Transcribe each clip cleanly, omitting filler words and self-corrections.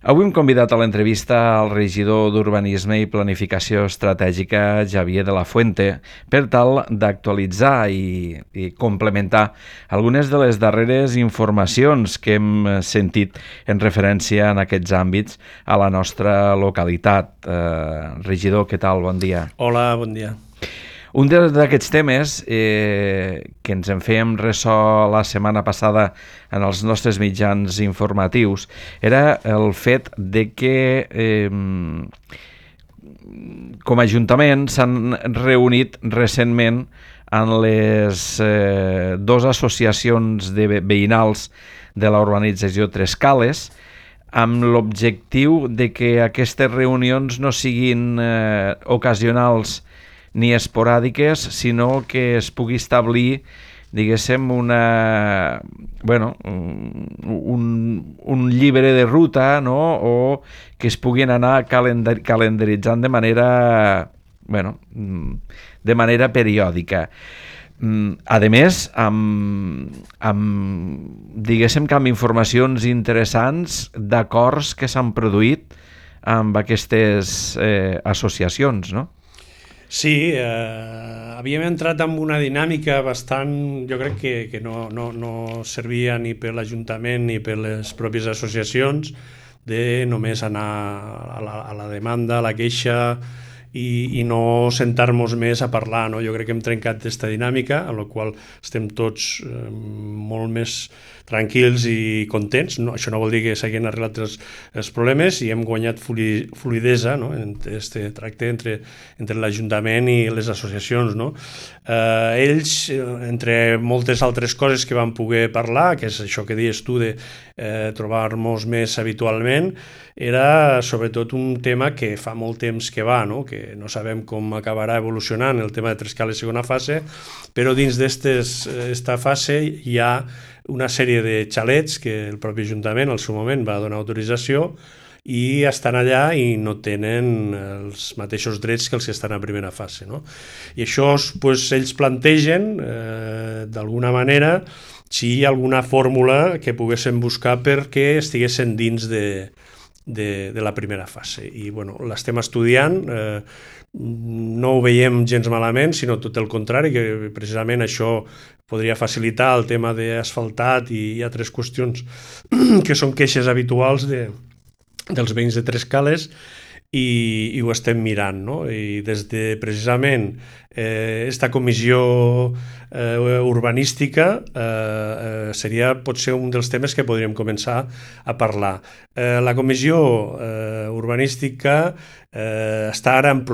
Avui hem convidat a l'entrevista al regidor d'Urbanisme i Planificació Estratègica, Xavier de la Fuente, per tal d'actualitzar i complementar algunes de les darreres informacions que hem sentit en referència en aquests àmbits a la nostra localitat. Regidor, què tal? Bon dia. Hola, bon dia. Un d'aquests temes que ens en fèiem ressò la setmana passada en els nostres mitjans informatius era el fet de que com a Ajuntament s'han reunit recentment en les dues associacions de veïnals de la urbanització Tres Cales amb l'objectiu de que aquestes reunions no siguin ocasionals ni esporàdiques, sinó que es pugui establir, diguéssim, un llibre de ruta, no? O que es puguin anar calendaritzant de manera periòdica. A més, diguéssim que amb informacions interessants d'acords que s'han produït amb aquestes associacions, no? Sí, havíem entrat en una dinàmica bastant, jo crec que no servia ni per l'Ajuntament ni per les pròpies associacions, de només anar a la demanda, a la queixa i no sentar-nos més a parlar, no? Jo crec que hem trencat aquesta dinàmica, en la qual estem tots molt més tranquils i contents. No, això no vol dir que s'hagin arreglat els problemes i hem guanyat fluidesa, no? En aquest tracte entre l'Ajuntament i les associacions, no? Ells, entre moltes altres coses que van poder parlar, que és això que dius tu de trobar-nos més habitualment, era sobretot un tema que fa molt temps que va, no? Que no sabem com acabarà evolucionant el tema de Tres Cales segona fase, però dins d'esta fase hi ha una sèrie de xalets que el propi Ajuntament al seu moment va donar autorització i estan allà i no tenen els mateixos drets que els que estan a primera fase, no? I això pues, ells plantegen d'alguna manera si hi ha alguna fórmula que poguessin buscar perquè estiguessin dins de la primera fase. I bueno, l'estem estudiant, no ho veiem gens malament, sinó tot el contrari, que precisament això podria facilitar el tema d'asfaltat i altres qüestions que són queixes habituals dels veïns de Tres Cales i ho estem mirant, no? I des de precisament esta comissió urbanística seria potser un dels temes que podríem començar a parlar. La comissió urbanística està ara en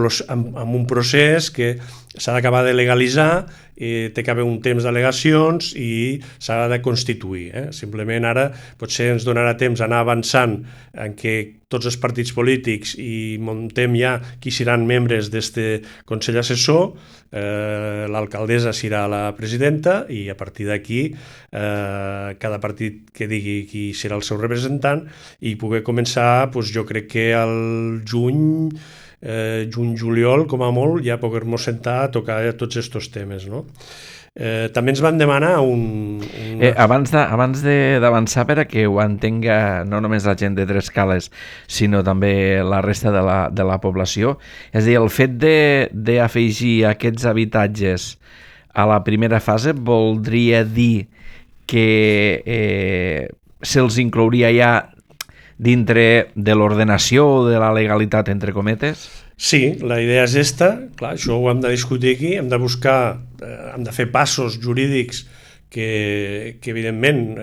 un procés que s'ha d'acabar de legalitzar, té que haver un temps d'al·legacions i s'ha de constituir. Simplement ara potser ens donarà temps d'anar avançant en què tots els partits polítics i muntem ja qui seran membres d'aquest Consell Assessor, l'alcaldessa serà la presidenta i a partir d'aquí cada partit que digui qui serà el seu representant i poder començar, jo crec que al juny-juliol, com a molt, ja poder-nos sentar a tocar tots aquests temes, no? També ens van demanar abans d'avançar per a que ho entenga no només la gent de Tres Cales sinó també la resta de la població, és a dir, el fet d'afegir aquests habitatges a la primera fase voldria dir que se'ls inclouria ja dintre de l'ordenació o de la legalitat, entre cometes? Sí, la idea és esta, clar, això ho hem de discutir aquí, hem de buscar, hem de fer passos jurídics que evidentment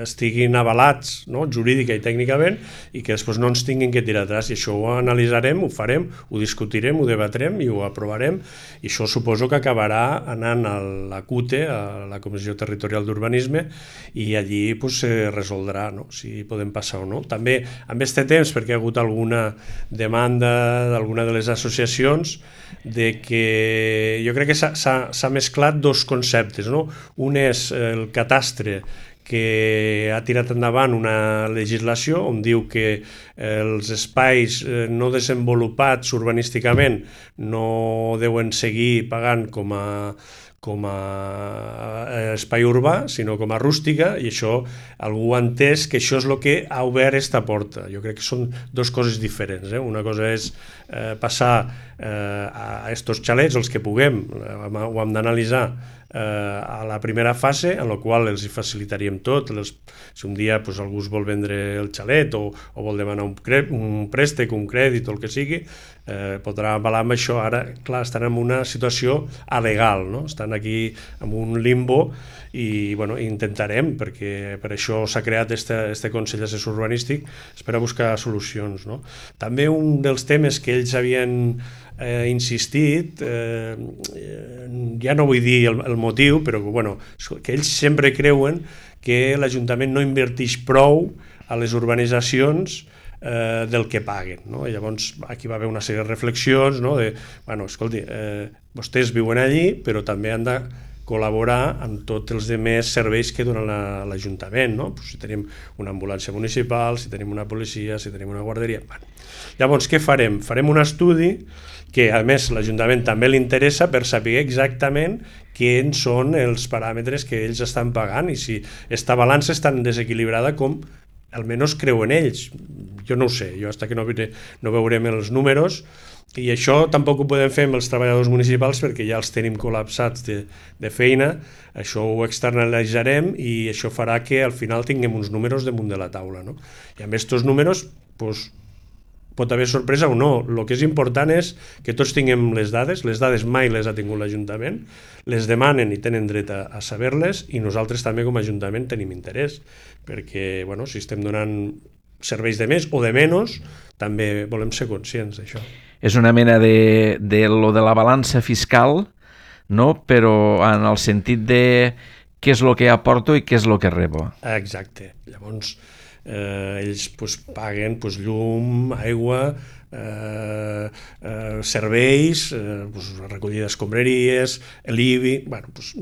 estiguin avalats, no? Jurídica i tècnicament, i que després no ens tinguin que tirar atràs, i això ho analitzarem, ho farem, ho discutirem, ho debatrem i ho aprovarem, i això suposo que acabarà anant a la CUTE, a la Comissió Territorial d'Urbanisme, i allí se resoldrà, no? Si podem passar o no. També amb aquest temps, perquè ha hagut alguna demanda d'alguna de les associacions, de que jo crec que s'ha mesclat dos conceptes, no? Un és el catastre, que ha tirat endavant una legislació on diu que els espais no desenvolupats urbanísticament no deuen seguir pagant com a espai urbà, sinó com a rústica, i això algú ha entès que això és el que ha obert esta porta. Jo crec que són dues coses diferents. Una cosa és passar a estos xalets, els que puguem, ho hem d'analitzar a la primera fase, en la qual els hi facilitaríem tot. Si un dia algú es vol vendre el xalet o vol demanar un préstec, un crèdit o el que sigui, podrà avalar amb això. Ara, clar, estan en una situació alegal, no? Estan aquí en un limbo i intentarem, perquè per això s'ha creat este Consell Assessor Urbanístic, és per a buscar solucions, no? També un dels temes que ells havien insistit, ja no vull dir el motiu, però que ells sempre creuen que l'Ajuntament no inverteix prou a les urbanitzacions del que paguen, no? I llavors aquí va haver una sèrie de reflexions, no? Escolti, vostès viuen allí, però també han de col·laborar amb tots els altres serveis que dona l'Ajuntament, no? Si tenim una ambulància municipal, si tenim una policia, si tenim una guarderia. Llavors, què farem? Farem un estudi que, a més, l'Ajuntament també li interessa per saber exactament quins són els paràmetres que ells estan pagant i si esta balança és tan desequilibrada com almenys creuen ells. Jo no ho sé, jo fins que no veurem els números, i això tampoc ho podem fer amb els treballadors municipals perquè ja els tenim col·lapsats de feina. Això ho externalitzarem i això farà que al final tinguem uns números damunt de la taula, no? I amb aquests números pot haver sorpresa o no. El que és important és que tots tinguem les dades mai les ha tingut l'Ajuntament, les demanen i tenen dret a saber-les, i nosaltres també com a Ajuntament tenim interès, perquè si estem donant serveis de més o de menys, també volem ser conscients d'això. És una mena de lo de la balança fiscal, no? Però en el sentit de què és el que aporto i què és el que rebo. Exacte. Llavors, ells paguen llum, aigua, serveis, recollida d'escombraries, l'IBI.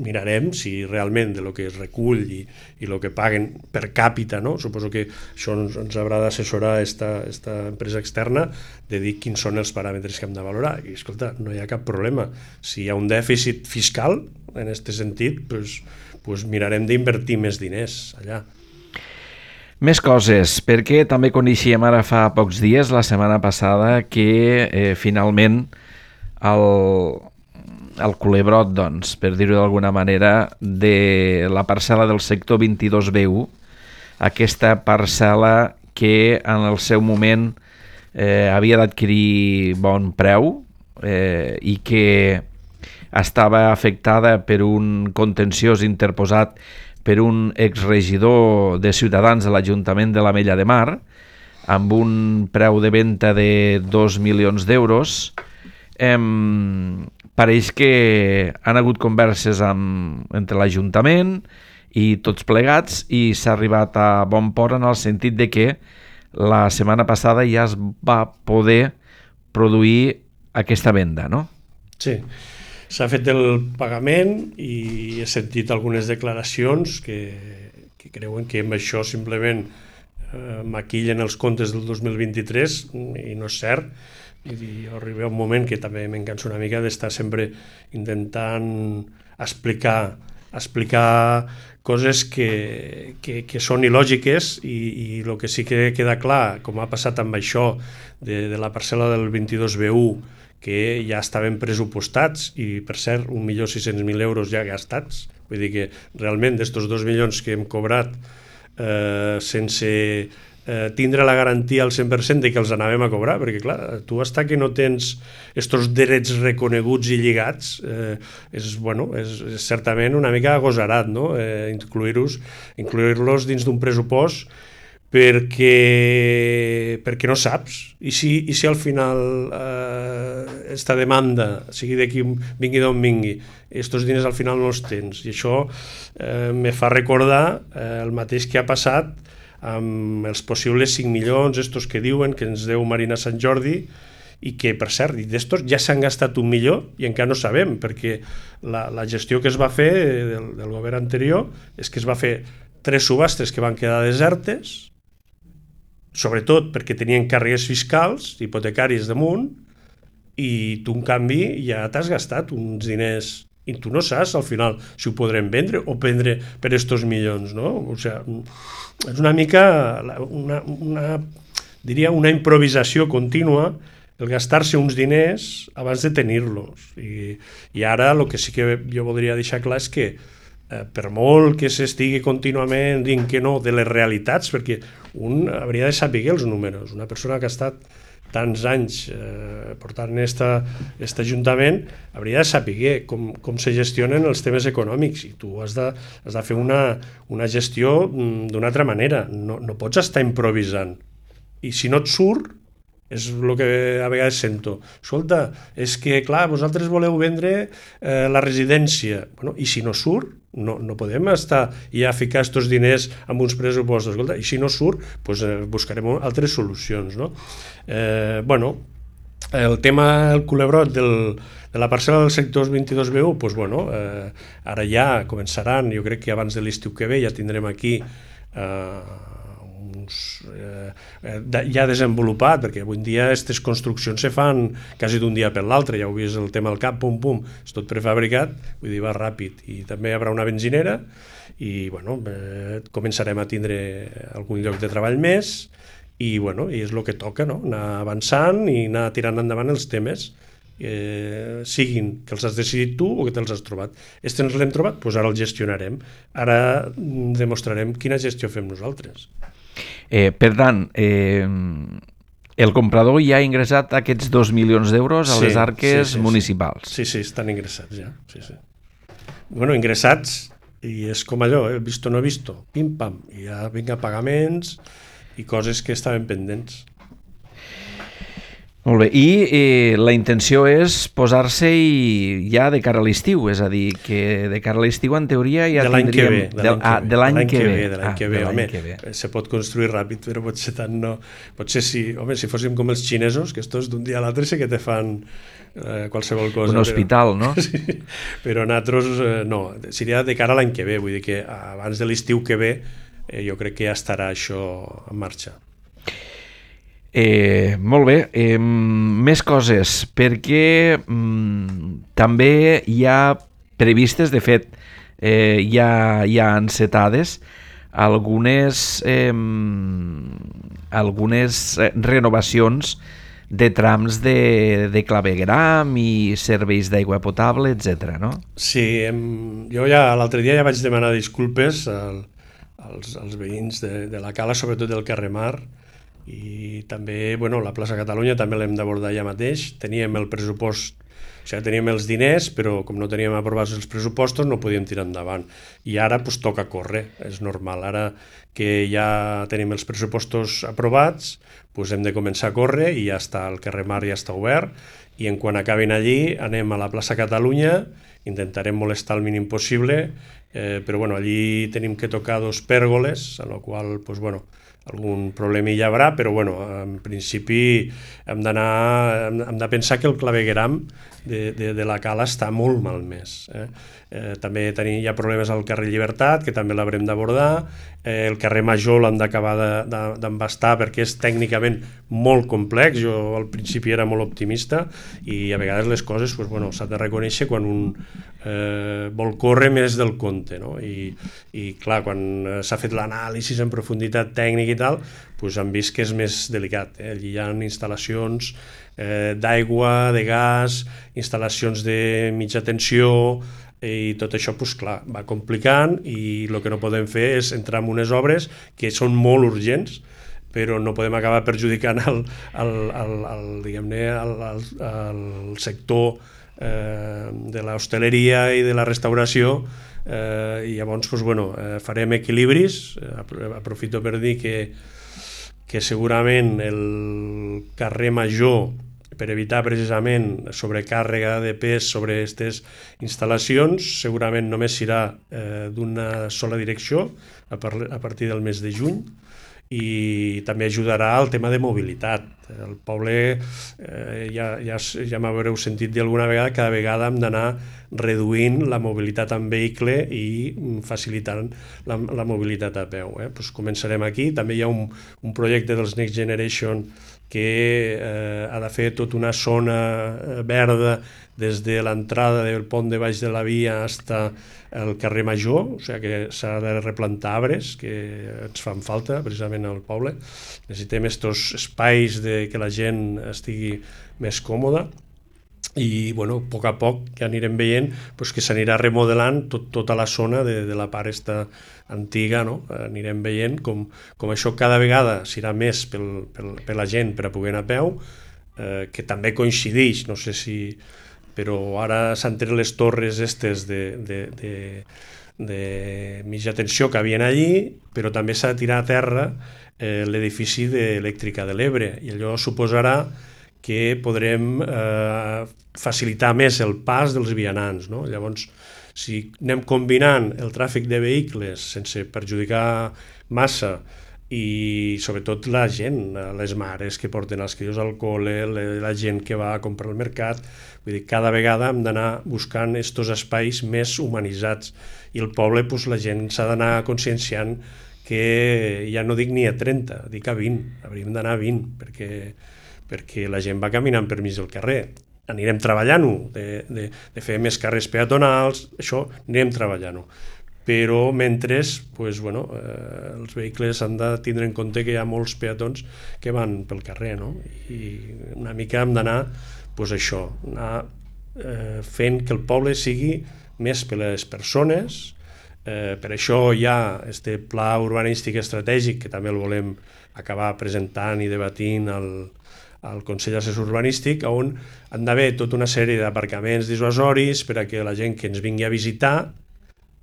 Mirarem si realment de lo que es recull i el que paguen per càpita, no? Suposo que això ens haurà d'assessorar esta empresa externa de dir quins són els paràmetres que hem de valorar. I escolta, no hi ha cap problema. Si hi ha un dèficit fiscal en aquest sentit, mirarem d'invertir més diners allà. Més coses, perquè també coneixíem ara fa pocs dies, la setmana passada, que finalment el culebrot, doncs, per dir-ho d'alguna manera, de la parcel·la del sector 22B1, aquesta parcel·la que en el seu moment havia d'adquirir bon preu i que estava afectada per un contenciós interposat per un exregidor de Ciutadans de l'Ajuntament de l'Ametlla de Mar, amb un preu de venda de 2 milions d'euros. Pareix que han hagut converses entre l'Ajuntament i tots plegats i s'ha arribat a bon port en el sentit de que la setmana passada ja es va poder produir aquesta venda, no? Sí. S'ha fet el pagament i he sentit algunes declaracions que creuen que amb això simplement maquillen els comptes del 2023 i no és cert. I arriba un moment que també m'encanso una mica d'estar sempre intentant explicar coses que són il·lògiques i el que sí que queda clar, com ha passat amb això de la parcel·la del 22B1, que ja estaven pressupostats i, per cert, 1.600.000 euros ja gastats. Vull dir que realment d'estos 2 milions que hem cobrat sense tindre la garantia al 100% de que els anàvem a cobrar, perquè clar, tu hasta que no tens estos drets reconeguts i lligats, és certament una mica agosarat, no? Incluir-los dins d'un pressupost perquè no saps. I si al final esta demanda, sigui d'aquí vingui d'on vingui, estos diners al final no els tens. I això me fa recordar el mateix que ha passat amb els possibles 5 milions, estos que diuen que ens deu Marina Sant Jordi, i que, per cert, d'estos ja s'han gastat 1 milió i encara no sabem, perquè la gestió que es va fer del govern anterior és que es va fer 3 subhastes que van quedar desertes, sobretot perquè tenien càrregues fiscals, hipotecaris damunt, i tu, en canvi, ja t'has gastat uns diners i tu no saps al final si ho podrem vendre o prendre per estos milions, no? O sigui, és una mica diria una improvisació contínua el gastar-se uns diners abans de tenir-los. I ara el que sí que jo voldria deixar clar és que per molt que s'estigui contínuament dient que no de les realitats, perquè un hauria de saber els números. Una persona que ha estat tants anys portant aquest ajuntament hauria de saber com se gestionen els temes econòmics, i tu has de fer una gestió d'una altra manera. No pots estar improvisant. I si no et surt, és el que a vegades sento. Escolta, és que, clar, vosaltres voleu vendre la residència. Bueno, i si no surt, no podem estar i a ficar aquests diners amb uns pressupostos. Escolta, i si no surt, doncs buscarem altres solucions, no? Bueno, el tema, el culebrot de la parcel·la del sector 22B1, doncs bueno, ara ja començaran, jo crec que abans de l'estiu que ve ja tindrem aquí ja desenvolupat, perquè avui en dia aquestes construccions se fan quasi d'un dia per l'altre. Ja heu vist el tema del CAP, pum, és tot prefabricat, vull dir, va ràpid. I també hi haurà una benzinera i bueno, començarem a tindre algun lloc de treball més i bueno, i és el que toca, no? Anar avançant i anar tirant endavant els temes, siguin que els has decidit tu o que te'ls has trobat. Ens l'hem trobat, doncs ara el gestionarem. Ara demostrarem quina gestió fem nosaltres. Per tant, el comprador ja ha ingressat aquests 2 milions d'euros a les arques municipals. Sí, estan ingressats ja. Sí. Bueno, ingressats, i és com allò, visto no visto, pim-pam, i ja vinga pagaments i coses que estaven pendents. Molt bé, i la intenció és posar-se-hi ja de cara a l'estiu, és a dir, que de cara a l'estiu en teoria ja tindríem... De l'any que ve, home, se pot construir ràpid, però potser tant no... Potser sí, home, si fóssim com els xinesos, que estos d'un dia a l'altre sí que te fan qualsevol cosa. Un hospital, no? Sí, però nosaltres no, seria de cara a l'any que ve, vull dir que abans de l'estiu que ve jo crec que ja estarà això en marxa. Molt bé, més coses, perquè també hi ha previstes, de fet hi ha encetades algunes renovacions de trams de clavegueram i serveis d'aigua potable, etc. no? Sí, jo ja l'altre dia ja vaig demanar disculpes als veïns de la Cala, sobretot del carrer Mar, i també la plaça Catalunya també l'hem d'abordar ja mateix. Teníem el pressupost, o sigui, teníem els diners, però com no teníem aprovats els pressupostos no podíem tirar endavant, i ara toca córrer, és normal. Ara que ja tenim els pressupostos aprovats, hem de començar a córrer, i ja està, el carrer Mar ja està obert, i en quan acabin allí anem a la plaça Catalunya, intentarem molestar el mínim possible, però allí tenim que tocar 2 pèrgoles, en la qual algun problema hi haurà, però en principi hem de pensar que el clavegueram de la Cala està molt malmès. També hi ha problemes al carrer Llibertat, que també l'haurem d'abordar. El carrer Major l'hem d'acabar d'embastar perquè és tècnicament molt complex. Jo al principi era molt optimista, i a vegades les coses s'ha de reconèixer quan un vol córrer més del compte, no? I clar, quan s'ha fet l'anàlisi en profunditat tècnica i tal, hem vist que és més delicat. Allí hi ha instal·lacions d'aigua, de gas, instal·lacions de mitja tensió, i tot això va complicant, i el que no podem fer és entrar en unes obres que són molt urgents, però no podem acabar perjudicant el sector de l'hostaleria i de la restauració, i llavors farem equilibris. Aprofito per dir que segurament el carrer Major, per evitar precisament sobrecàrrega de pes sobre aquestes instal·lacions, segurament només serà d'una sola direcció a partir del mes de juny, i també ajudarà al tema de mobilitat. El poble, ja m'haureu sentit dir alguna vegada, cada vegada hem d'anar reduint la mobilitat en vehicle i facilitant la mobilitat a peu. Començarem aquí. També hi ha un projecte dels Next Generation que ha de fer tota una zona verda des de l'entrada del pont de baix de la via fins al carrer Major, o sigui que s'ha de replantar arbres que ens fan falta precisament al poble. Necessitem aquests espais que la gent estigui més còmoda i a poc a poc que anirem veient que s'anirà remodelant tota la zona de la part esta antiga, no? Anirem veient com això cada vegada serà més per la gent per a poder anar a peu, que també coincideix, no sé si... però ara s'han tret les torres estes de mitja tensió que havien allí, però també s'ha de tirar a terra l'edifici d'Elèctrica de l'Ebre, i allò suposarà que podrem facilitar més el pas dels vianants, no? Llavors, si anem combinant el tràfic de vehicles sense perjudicar massa i sobretot la gent, les mares que porten els crios al col·le, la gent que va a comprar al mercat, vull dir, cada vegada hem d'anar buscant aquests espais més humanitzats i el poble, la gent s'ha d'anar conscienciant que ja no dic ni a 30, dic a 20, hauríem d'anar a 20 perquè la gent va caminant per mig del carrer. Anirem treballant-ho, de fer més carrers peatonals, això anirem treballant-ho. Però mentre, els vehicles han de tindre en compte que hi ha molts peatons que van pel carrer, no? I una mica hem d'anar, això, anar fent que el poble sigui més per les persones. Per això hi ha aquest pla urbanístic estratègic que també el volem acabar presentant i debatint al Consell Assessor Urbanístic, on han d'haver tota una sèrie d'aparcaments dissuasoris per a que la gent que ens vingui a visitar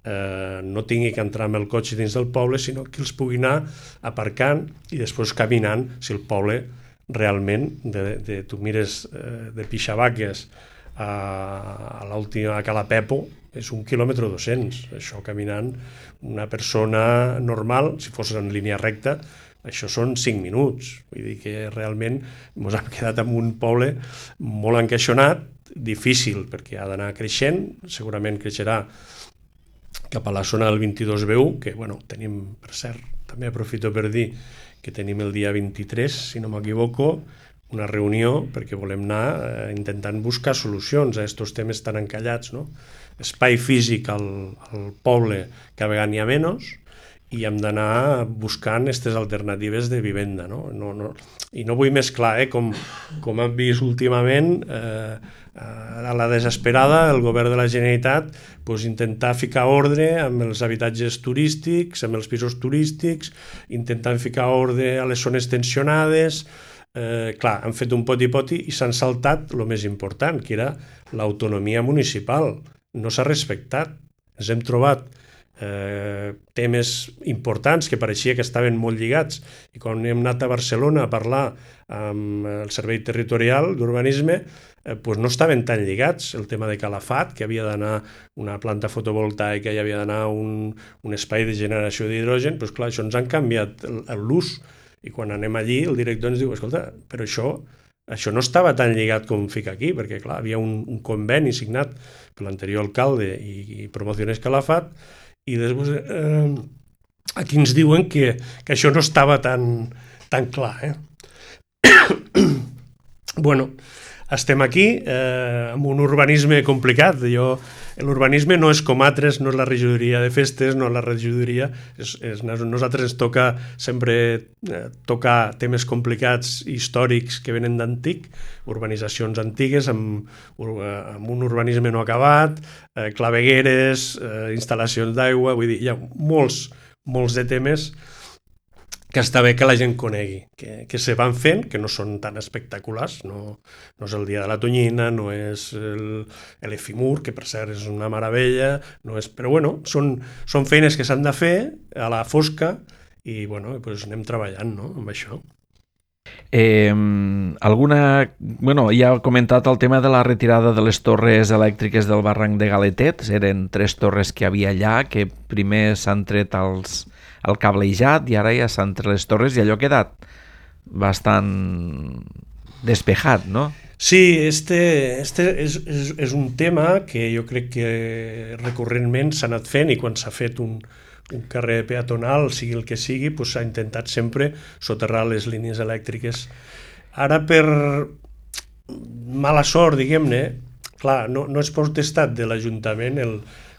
no tingui que entrar amb el cotxe dins del poble, sinó que els pugui anar aparcant i després caminant, si el poble realment, tu mires de Pixavaques a l'última, a Cala Pepo, és 1,2 quilòmetres, això caminant una persona normal, si fos en línia recta, això són 5 minuts, vull dir que realment ens hem quedat en un poble molt encaixonat, difícil perquè ha d'anar creixent, segurament creixerà cap a la zona del 22B1, que tenim, per cert, també aprofito per dir que tenim el dia 23, si no m'equivoco, una reunió perquè volem anar intentant buscar solucions a aquests temes tan encallats, no? Espai físic al poble cada vegada n'hi ha menys, i hem d'anar buscant aquestes alternatives de vivenda, no? I no vull mesclar, com hem vist últimament, a la desesperada, el govern de la Generalitat intentar ficar ordre amb els habitatges turístics, amb els pisos turístics, intentant ficar ordre a les zones tensionades. Clar, han fet un poti-poti i s'han saltat el més important, que era l'autonomia municipal. No s'ha respectat. Ens hem trobat temes importants que pareixia que estaven molt lligats, i quan hem anat a Barcelona a parlar amb el Servei Territorial d'Urbanisme no estaven tan lligats. El tema de Calafat, que havia d'anar una planta fotovoltaica i havia d'anar un espai de generació d'hidrogen, clar, això ens han canviat l'ús, i quan anem allí el director ens diu, escolta, però això no estava tan lligat com fica aquí, perquè clar, havia un conveni signat per l'anterior alcalde i Promociones Calafat, i després aquí ens diuen que això no estava tan clar. Estem aquí amb un urbanisme complicat. L'urbanisme no és com altres, no és la regidoria de festes, no és la regidoria. Nosaltres ens toca sempre tocar temes complicats històrics que venen d'antic, urbanitzacions antigues amb un urbanisme no acabat, clavegueres, instal·lacions d'aigua, vull dir, hi ha molts de temes que està bé que la gent conegui, que se van fent, que no són tan espectaculars, no és el dia de la tonyina, no és l'efimur, que per cert és una meravella, però són feines que s'han de fer a la fosca i anem treballant amb això. Ja ha comentat el tema de la retirada de les torres elèctriques del barranc de Galetet. Eren 3 torres que hi havia allà, que primer s'han tret el cablejat i ara ja s'han tret les torres i allò ha quedat bastant despejat, no? Sí, este és un tema que jo crec que recurrentment s'ha anat fent, i quan s'ha fet un carrer peatonal, sigui el que sigui, s'ha intentat sempre soterrar les línies elèctriques Ara per mala sort, diguem-ne, clar, no és potestat de l'Ajuntament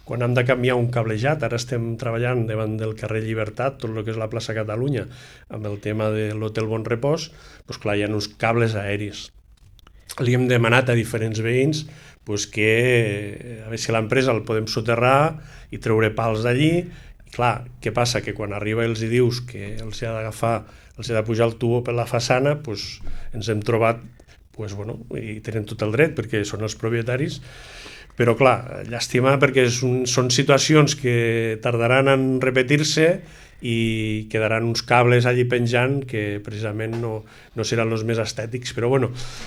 quan hem de canviar un cablejat. Ara estem treballant davant del carrer Llibertat, tot el que és la plaça Catalunya, amb el tema de l'Hotel Bon Repòs, doncs clar, hi ha uns cables aeris. Li hem demanat a diferents veïns que a veure si l'empresa el podem soterrar i treure pals d'allí. Clar, què passa? Que quan arriba els hi dius que els ha d'agafar, els ha de pujar el tubo per la façana, ens hem trobat, i tenen tot el dret perquè són els propietaris, però clar, llàstima perquè són situacions que tardaran en repetir-se i quedaran uns cables allí penjant que precisament no seran els més estètics, però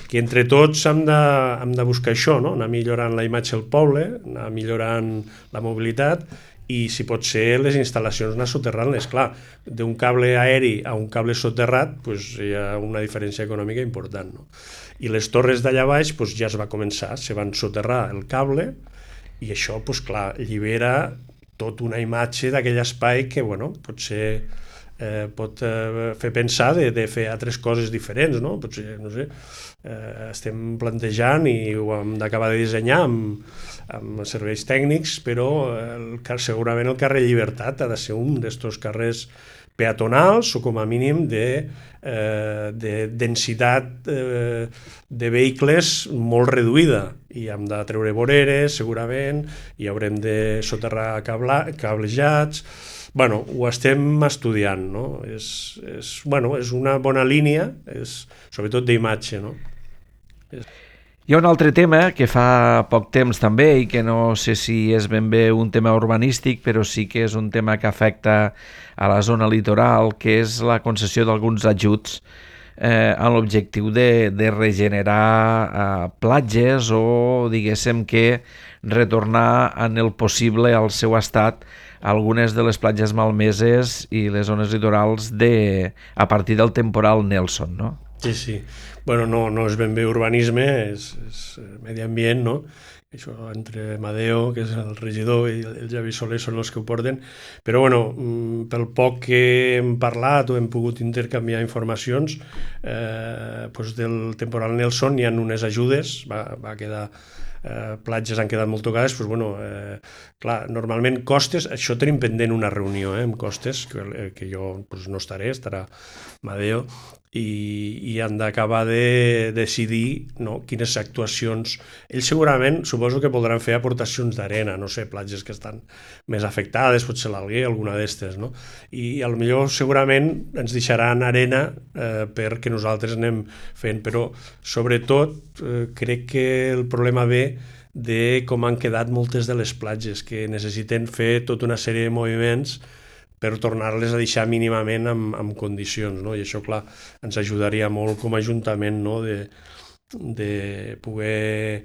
que entre tots hem de buscar això, no? Anar millorant la imatge del poble, anar millorant la mobilitat i si pot ser les instal·lacions anar soterrant-les. Clar, d'un cable aeri a un cable soterrat hi ha una diferència econòmica important, no? I les torres d'allà baix ja es va començar, se van soterrar el cable i això, clar, allibera tota una imatge d'aquell espai que, potser pot fer pensar de fer altres coses diferents, no? Potser, no sé, estem plantejant i ho hem d'acabar de dissenyar amb serveis tècnics, però segurament el carrer Llibertat ha de ser un d'estos carrers peatonals o com a mínim de densitat de vehicles molt reduïda i hem de treure voreres segurament i haurem de soterrar cablejats. Ho estem estudiant, no? És una bona línia, sobretot d'imatge, no? Hi ha un altre tema que fa poc temps també i que no sé si és ben bé un tema urbanístic, però sí que és un tema que afecta a la zona litoral, que és la concessió d'alguns ajuts amb l'objectiu de regenerar platges o, diguéssim, que retornar en el possible al seu estat algunes de les platges malmeses i les zones litorals a partir del temporal Nelson, no? Sí. No és ben bé urbanisme, és medi ambient, no? Això entre Amadeo, que és el regidor, i el Javi Soler són els que ho porten, però pel poc que hem parlat o hem pogut intercanviar informacions del temporal Nelson hi ha unes ajudes, va quedar platges han quedat molt tocades, clar, normalment costes, això tenim pendent una reunió amb costes, que jo no estaré, estarà Amadeo, i han d'acabar de decidir quines actuacions. Ells segurament, suposo que podran fer aportacions d'arena, no sé, platges que estan més afectades, potser l'Alguer, alguna d'estes, no? I potser segurament ens deixaran arena perquè nosaltres anem fent, però sobretot crec que el problema ve de com han quedat moltes de les platges, que necessiten fer tota una sèrie de moviments per tornar-les a deixar mínimament en condicions, no? I això, clar, ens ajudaria molt com a Ajuntament, no? De poder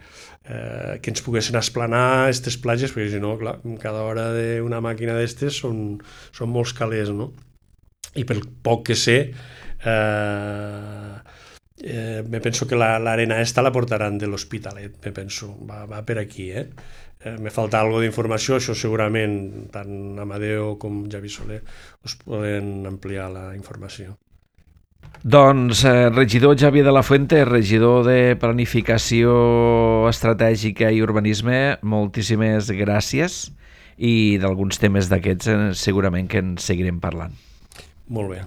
que ens poguessin esplanar aquestes platges, perquè si no, clar, cada hora d'una màquina d'estes són molts calés, no? I pel poc que sé, me penso que l'arena esta la portaran de l'Hospitalet, me penso, va per aquí, me falta algo d'informació, això segurament tant Amadeo com Javi Soler us poden ampliar la informació. Doncs regidor Xavier de la Fuente, regidor de Planificació Estratègica i Urbanisme, moltíssimes gràcies i d'alguns temes d'aquests segurament que en seguirem parlant. Molt bé.